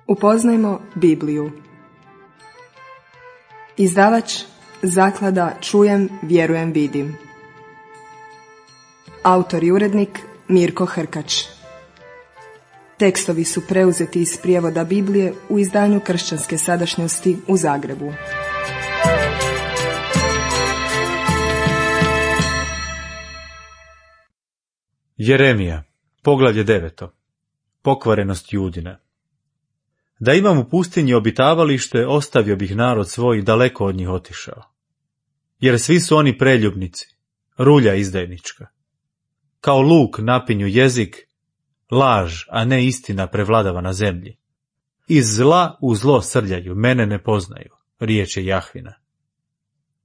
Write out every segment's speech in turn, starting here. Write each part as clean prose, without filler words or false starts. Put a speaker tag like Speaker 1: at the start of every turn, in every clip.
Speaker 1: Upoznajmo Bibliju. Izdavač Zaklada Čujem, vjerujem, vidim. Autor i urednik Mirko Hrkač. Tekstovi su preuzeti iz prijevoda Biblije u izdanju Kršćanske sadašnjosti u Zagrebu.
Speaker 2: Jeremija, poglavlje 9. Pokvarenost Judina. Da imam u pustinji obitavalište, ostavio bih narod svoj, daleko od njih otišao. Jer svi su oni preljubnici, rulja izdajnička. Kao luk napinju jezik, laž, a ne istina prevladava na zemlji. Iz zla u zlo srljaju, mene ne poznaju, riječ je Jahvina.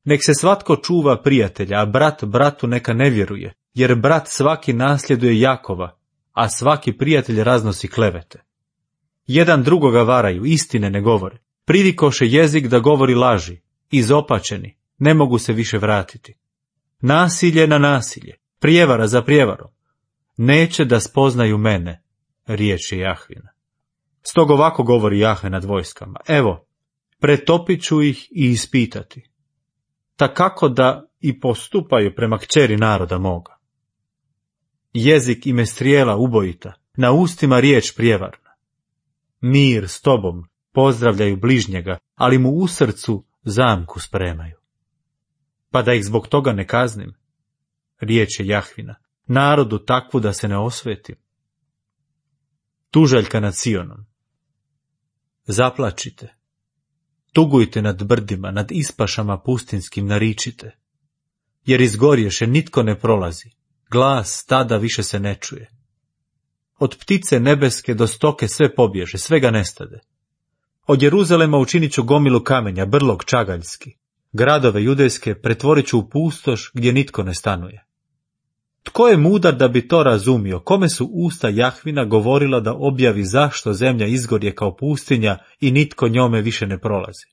Speaker 2: Nek se svatko čuva prijatelja, a brat bratu neka ne vjeruje, jer brat svaki nasljeduje Jakova, a svaki prijatelj raznosi klevete. Jedan drugoga varaju, istine ne govore, privikoše jezik da govori laži, izopačeni, ne mogu se više vratiti. Nasilje na nasilje, prijevara za prijevarom, neće da spoznaju mene, riječ je Jahvina. Stog ovako govori Jahve nad vojskama, evo, pretopit ću ih i ispitati, ta kako da i postupaju prema kćeri naroda moga. Jezik im je strijela ubojita, na ustima riječ prijevarna. Mir s tobom, pozdravljaju bližnjega, ali mu u srcu zamku spremaju. Pa da ih zbog toga ne kaznim, riječ je Jahvina, narodu takvu da se ne osvetim. Tužaljka nad Sionom. Zaplačite, tugujte nad brdima, nad ispašama pustinskim naričite, jer izgorješe nitko ne prolazi, glas tada više se ne čuje. Od ptice nebeske do stoke sve pobježe, svega nestade. Od Jeruzalema učinit ću gomilu kamenja, brlog čagaljski. Gradove judejske pretvorit ću u pustoš gdje nitko ne stanuje. Tko je mudar da bi to razumio? Kome su usta Jahvina govorila da objavi zašto zemlja izgorje kao pustinja i nitko njome više ne prolazi?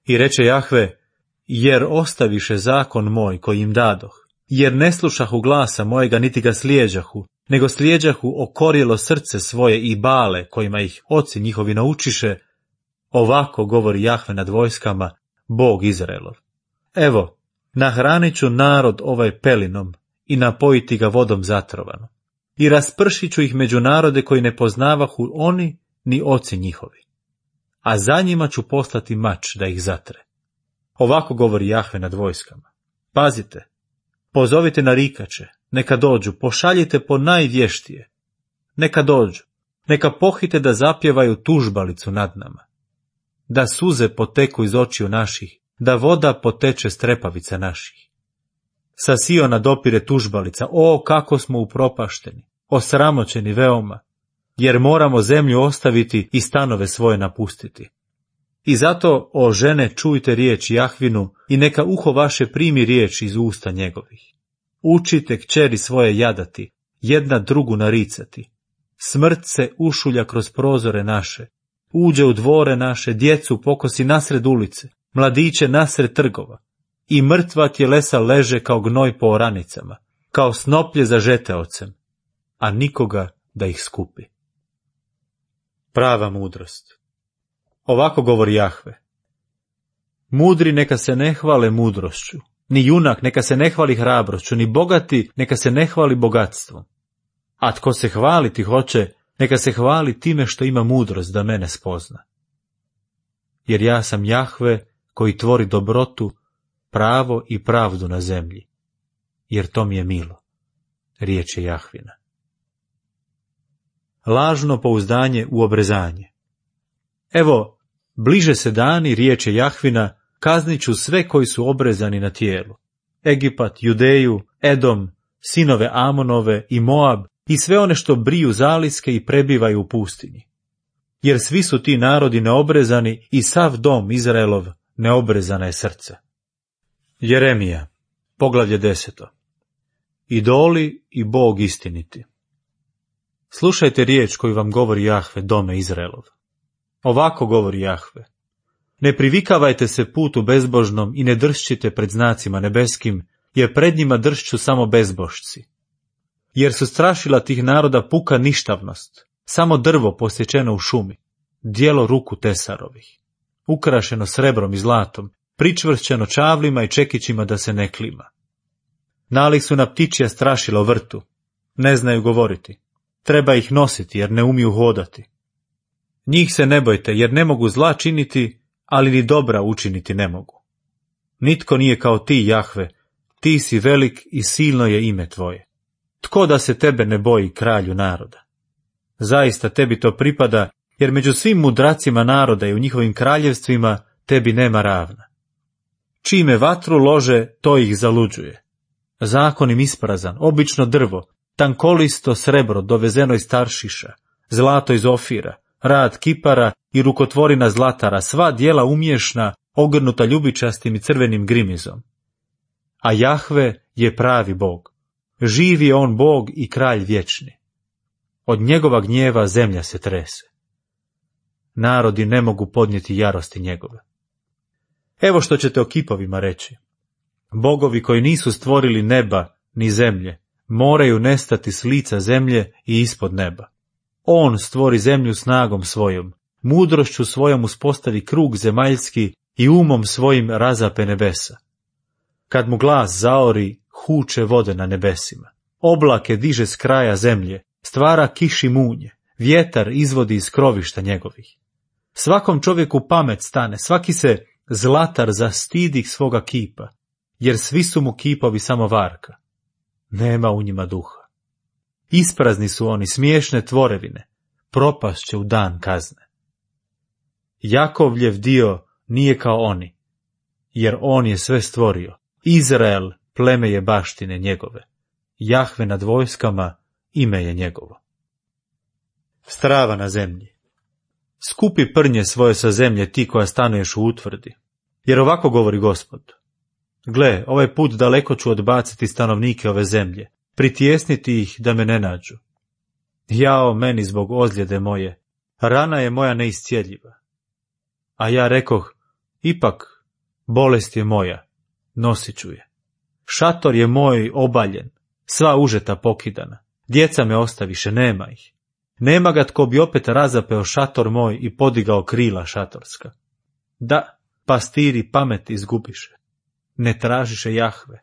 Speaker 2: I reče Jahve, jer ostaviše zakon moj koji im dadoh, jer ne slušahu glasa mojega niti ga slijeđahu, nego slijeđahu okorjelo srce svoje i bale kojima ih oci njihovi naučiše, ovako govori Jahve nad vojskama, Bog Izraelov. Evo, nahranit ću narod ovaj pelinom i napojiti ga vodom zatrovanom. I raspršit ću ih među narode koji ne poznavahu oni ni oci njihovi. A za njima ću poslati mač da ih zatre. Ovako govori Jahve nad vojskama. Pazite, pozovite narikače, neka dođu, pošaljite po najvještije. Neka dođu, neka pohite da zapjevaju tužbalicu nad nama. Da suze poteku iz očiju naših, da voda poteče s trepavica naših. Sa Siona dopire tužbalica, o kako smo upropašteni, osramoćeni veoma, jer moramo zemlju ostaviti i stanove svoje napustiti. I zato, o žene, čujte riječ Jahvinu i neka uho vaše primi riječ iz usta njegovih. Učite kćeri svoje jadati, jedna drugu naricati. Smrt se ušulja kroz prozore naše, uđe u dvore naše, djecu pokosi nasred ulice, mladiće nasred trgova. I mrtva tjelesa leže kao gnoj po oranicama, kao snoplje za žeteocem, a nikoga da ih skupi. Prava mudrost. Ovako govori Jahve. Mudri neka se ne hvale mudrošću, ni junak neka se ne hvali hrabrošću, ni bogati neka se ne hvali bogatstvom. A tko se hvaliti hoće, neka se hvali time što ima mudrost da mene spozna. Jer ja sam Jahve koji tvori dobrotu, pravo i pravdu na zemlji, jer to mi je milo, riječ je Jahvina. Lažno pouzdanje u obrezanje. Evo, bliže se dani, riječ je Jahvina, kaznit ću sve koji su obrezani na tijelu. Egipat, Judeju, Edom, sinove Amonove i Moab i sve one što briju zaliske i prebivaju u pustinji. Jer svi su ti narodi neobrezani i sav dom Izraelov neobrezana je srce. Jeremija, poglavlje 10. Idoli i Bog istiniti. Slušajte riječ koju vam govori Jahve, dome Izraelov. Ovako govori Jahve. Ne privikavajte se putu bezbožnom i ne dršćite pred znacima nebeskim, jer pred njima dršću samo bezbožci. Jer su strašila tih naroda puka ništavnost, samo drvo posječeno u šumi. dijelo ruku tesarovih, ukrašeno srebrom i zlatom, pričvršćeno čavlima i čekićima da se ne klima. Nalik su na ptičja strašila u vrtu, ne znaju govoriti, treba ih nositi jer ne umiju hodati. Njih se ne bojte jer ne mogu zla činiti, ali ni dobra učiniti ne mogu. Nitko nije kao ti, Jahve, ti si velik i silno je ime tvoje. Tko da se tebe ne boji, kralju naroda? Zaista tebi to pripada, jer među svim mudracima naroda i u njihovim kraljevstvima tebi nema ravna. Čime vatru lože, to ih zaluđuje. Zakon im isprazan, obično drvo, tankolisto srebro dovezeno iz Taršiša, zlato iz Ofira, rad kipara i rukotvorina zlatara, sva djela umješna, ogrnuta ljubičastim i crvenim grimizom. A Jahve je pravi Bog. Živ je on Bog i kralj vječni. Od njegova gnjeva zemlja se trese. Narodi ne mogu podnijeti jarosti njegove. Evo što ćete o kipovima reći. Bogovi koji nisu stvorili neba ni zemlje, moraju nestati s lica zemlje i ispod neba. On stvori zemlju snagom svojom, mudrošću svojom uspostavi krug zemaljski i umom svojim razape nebesa. Kad mu glas zaori, huče vode na nebesima. Oblake diže s kraja zemlje, stvara kiši munje, vjetar izvodi iz krovišta njegovih. Svakom čovjeku pamet stane, svaki se zlatar zastidi svoga kipa, jer svi su mu kipovi samo varka. Nema u njima duha. Isprazni su oni, smiješne tvorevine, propast će u dan kazne. Jakovljev dio nije kao oni, jer on je sve stvorio. Izrael pleme je baštine njegove. Jahve nad vojskama ime je njegovo. Strava na zemlji. Skupi prnje svoje sa zemlje ti koja stanuješ u utvrdi, jer ovako govori Gospod. Gle, ovaj put daleko ću odbaciti stanovnike ove zemlje, pritijesniti ih da me ne nađu. Jao meni zbog ozljede moje, rana je moja neiscijeljiva. A ja rekoh, ipak, bolest je moja, nosit ću je. Šator je moj obaljen, sva užeta pokidana, djeca me ostaviše, nema ih. Nema ga tko bi opet razapeo šator moj i podigao krila šatorska. Da, pastiri pamet izgubiše, ne tražiše Jahve.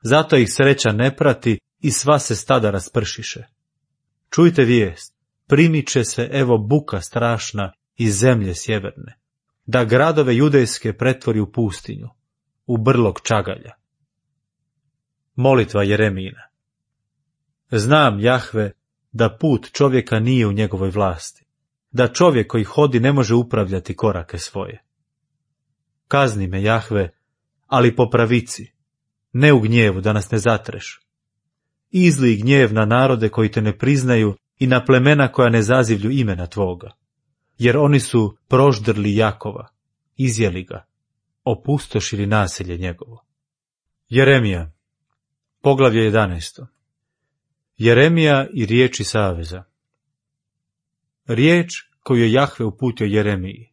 Speaker 2: Zato ih sreća ne prati i sva se stada raspršiše. Čujte vijest, primiče se evo buka strašna iz zemlje sjeverne, da gradove judejske pretvori u pustinju, u brlog čagalja. Molitva Jeremijina. Znam, Jahve, da put čovjeka nije u njegovoj vlasti, da čovjek koji hodi ne može upravljati korake svoje. Kazni me, Jahve, ali po pravici, ne u gnjevu da nas ne zatreš. Izlij gnjev na narode koji te ne priznaju i na plemena koja ne zazivlju imena tvoga, jer oni su proždrli Jakova, izjeli ga, opustošili naselje njegovo. Jeremija, poglavlje 11. Jeremija i riječi saveza. Riječ koju je Jahve uputio Jeremiji,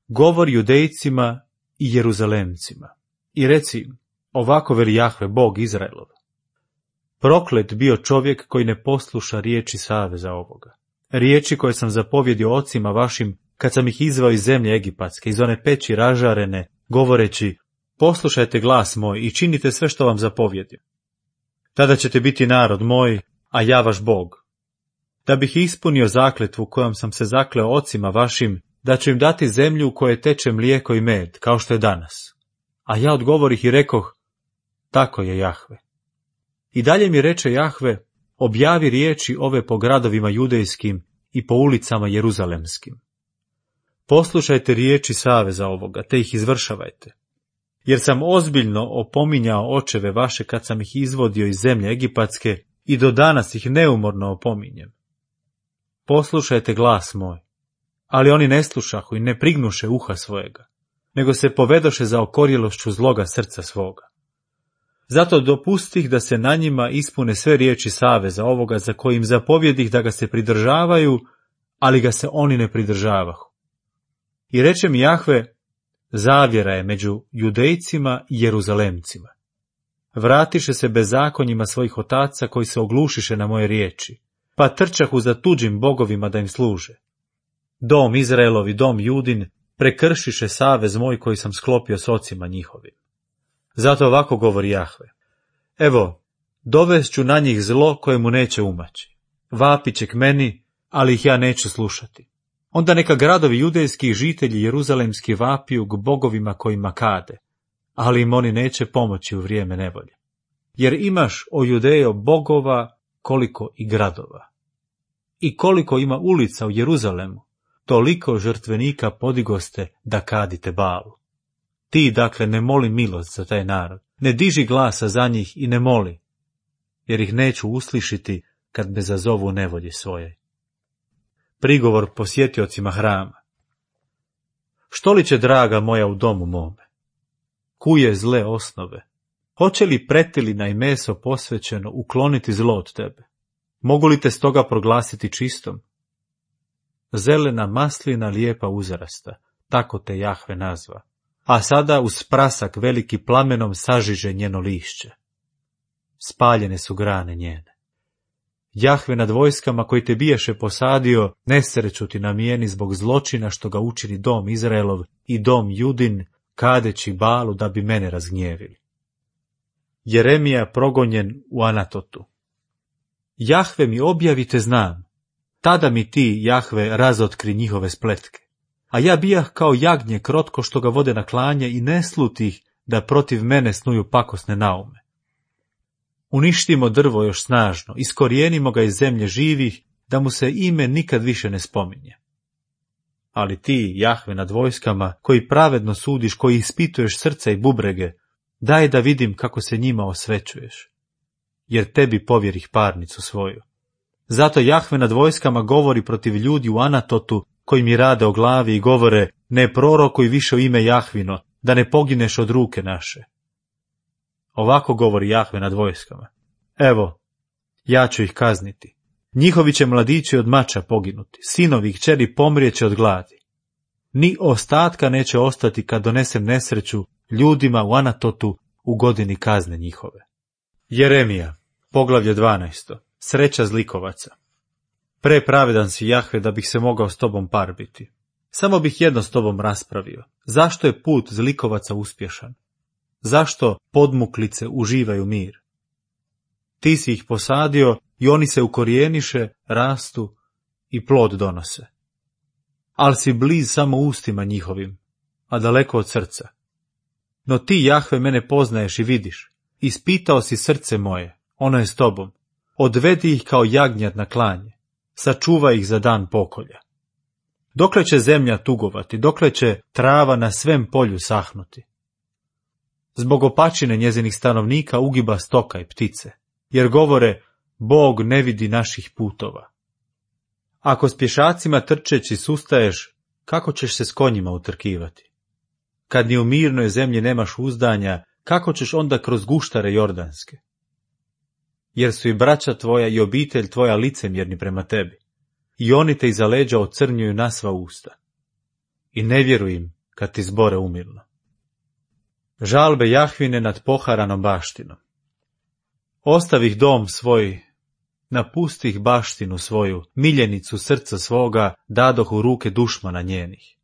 Speaker 2: govori Judejcima i Jeruzalemcima. I reci im, ovako veli Jahve, Bog Izraelov. Proklet bio čovjek koji ne posluša riječi saveza ovoga. Riječi koje sam zapovjedio ocima vašim kad sam ih izvao iz zemlje egipatske, iz one peći ražarene, govoreći, poslušajte glas moj i činite sve što vam zapovjedim. Tada ćete biti narod moj, a ja vaš Bog. Da bih ispunio zakletvu kojom sam se zakleo ocima vašim, da ću im dati zemlju u kojoj teče mlijeko i med, kao što je danas. A ja odgovorih i rekoh, tako je Jahve. I dalje mi reče Jahve, objavi riječi ove po gradovima judejskim i po ulicama jeruzalemskim. Poslušajte riječi saveza ovoga, te ih izvršavajte. Jer sam ozbiljno opominjao očeve vaše kad sam ih izvodio iz zemlje egipatske i do danas ih neumorno opominjem. Poslušajte glas moj, ali oni ne slušahu i ne prignuše uha svojega, nego se povedoše za okorjelošću zloga srca svoga. Zato dopustih da se na njima ispune sve riječi saveza ovoga za kojim zapovjedih da ga se pridržavaju, ali ga se oni ne pridržavahu. I reče mi Jahve, zavjera je među Judejcima i Jeruzalemcima. Vratiše se bezakonjima svojih otaca koji se oglušiše na moje riječi, pa trčahu za tuđim bogovima da im služe. Dom Izraelov i dom Judin prekršiše savez moj koji sam sklopio s ocima njihovim. Zato ovako govori Jahve. Evo, dovest ću na njih zlo koje mu neće umaći. Vapit će k meni, ali ih ja neću slušati. Onda neka gradovi judejski i žitelji jeruzalemski vapiju k bogovima kojima kade, ali im oni neće pomoći u vrijeme nevolje. Jer imaš, o Judejo, bogova koliko i gradova. I koliko ima ulica u Jeruzalemu, toliko žrtvenika podigoste da kadite Balu. Ti, dakle, ne moli milost za taj narod, ne diži glasa za njih i ne moli, jer ih neću uslišiti kad me zazovu nevolji svoje. Prigovor posjetiocima hrama. Što li će, draga moja, u domu mome? Kuje zle osnove? Hoće li pretilina i meso posvećeno ukloniti zlo od tebe? Mogu li te stoga proglasiti čistom? Zelena maslina lijepa uzrasta, tako te Jahve nazva. A sada uz prasak veliki plamenom sažiže njeno lišće. Spaljene su grane njene. Jahve nad vojskama koji te biješe posadio, nesreću ti namijeni zbog zločina što ga učini dom Izraelov i dom Judin, kadeći Balu da bi mene razgnjevili. Jeremija progonjen u Anatotu. Jahve mi objavite znam, tada mi ti, Jahve, razotkri njihove spletke. A ja bijah kao jagnje krotko što ga vode na klanje i ne slutih da protiv mene snuju pakosne naume. Uništimo drvo još snažno, iskorijenimo ga iz zemlje živih, da mu se ime nikad više ne spominje. Ali ti, Jahve nad vojskama, koji pravedno sudiš, koji ispituješ srca i bubrege, daj da vidim kako se njima osvećuješ, jer tebi povjerih parnicu svoju. Zato Jahve nad vojskama govori protiv ljudi u Anatotu, koji mi rade o glavi i govore, ne prorokuj više u ime Jahvino, da ne pogineš od ruke naše. Ovako govori Jahve nad vojskama. Evo, ja ću ih kazniti. Njihovi će mladići od mača poginuti, sinovi i kćeri pomrijeće od gladi. Ni ostatka neće ostati kad donesem nesreću ljudima u Anatotu u godini kazne njihove. Jeremija, poglavlje 12. Sreća zlikovaca. Prepravedan si, Jahve, da bih se mogao s tobom parbiti. Samo bih jedno s tobom raspravio. Zašto je put zlikovaca uspješan? Zašto podmuklice uživaju mir? Ti si ih posadio i oni se ukorijeniše, rastu i plod donose. Ali si bliz samo ustima njihovim, a daleko od srca. No ti, Jahve, mene poznaješ i vidiš. Ispitao si srce moje, ono je s tobom. Odvedi ih kao jagnjad na klanje. Sačuvaj ih za dan pokolja. Dokle će zemlja tugovati, dokle će trava na svem polju sahnuti? Zbog opačine njezinih stanovnika ugiba stoka i ptice, jer govore, Bog ne vidi naših putova. Ako s pješacima trčeći sustaješ, kako ćeš se s konjima utrkivati? Kad ni u mirnoj zemlji nemaš uzdanja, kako ćeš onda kroz guštare jordanske? Jer su i braća tvoja i obitelj tvoja licemjerni prema tebi, i oni te iza leđa ocrnjuju na sva usta. I ne vjeruj im kad ti zbore umirno. Žalbe Jahvine nad poharanom baštinom. Ostavih dom svoj, napustih baštinu svoju, miljenicu srca svoga, dadoh u ruke dušmana njenih.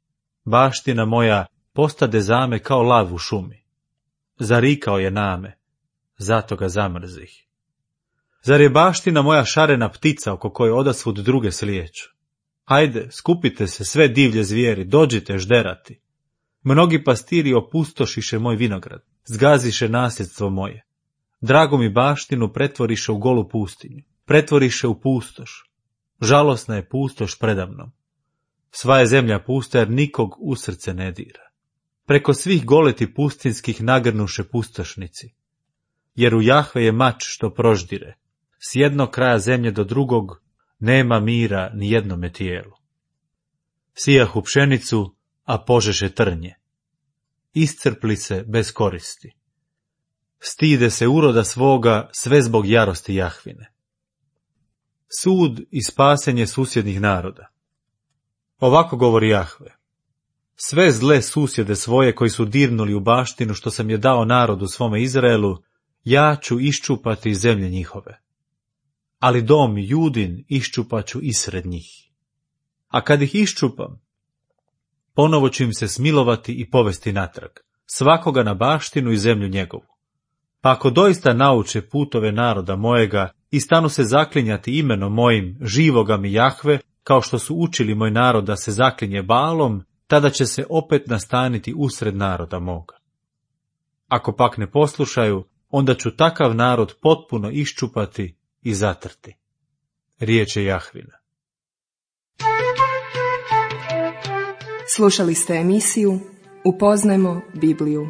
Speaker 2: Baština moja postade zame kao lav u šumi. Zarikao je name, zato ga zamrzih. Zar je baština moja šarena ptica oko koje odasvud druge slijeću? Hajde, skupite se sve divlje zvijeri, dođite žderati. Mnogi pastiri opustošiše moj vinograd, zgaziše nasljedstvo moje. Dragu mi baštinu pretvoriše u golu pustinju, pretvoriše u pustoš. Žalosna je pustoš predamnom. Sva je zemlja pusta jer nikog u srce ne dira. Preko svih goleti pustinskih nagrnuše pustošnici. Jer u Jahve je mač što proždire. S jednog kraja zemlje do drugog nema mira ni jednome tijelu. Sijahu pšenicu, a požeše trnje. Iscrpli se bez koristi. Stide se uroda svoga sve zbog jarosti Jahvine. Sud i spasenje susjednih naroda. Ovako govori Jahve. Sve zle susjede svoje koji su dirnuli u baštinu što sam je dao narodu svome Izraelu, ja ću iščupati iz zemlje njihove. Ali dom Judin iščupaću isred njih. A kad ih iščupam, ponovo ću im se smilovati i povesti natrag, svakoga na baštinu i zemlju njegovu. Pa ako doista nauče putove naroda mojega i stanu se zaklinjati imenom mojim, živoga mi Jahve, kao što su učili moj narod da se zaklinje Baalom, tada će se opet nastaniti usred naroda moga. Ako pak ne poslušaju, onda ću takav narod potpuno iščupati i zatrti. Riječ je Jahvina.
Speaker 1: Slušali ste emisiju Upoznajmo Bibliju.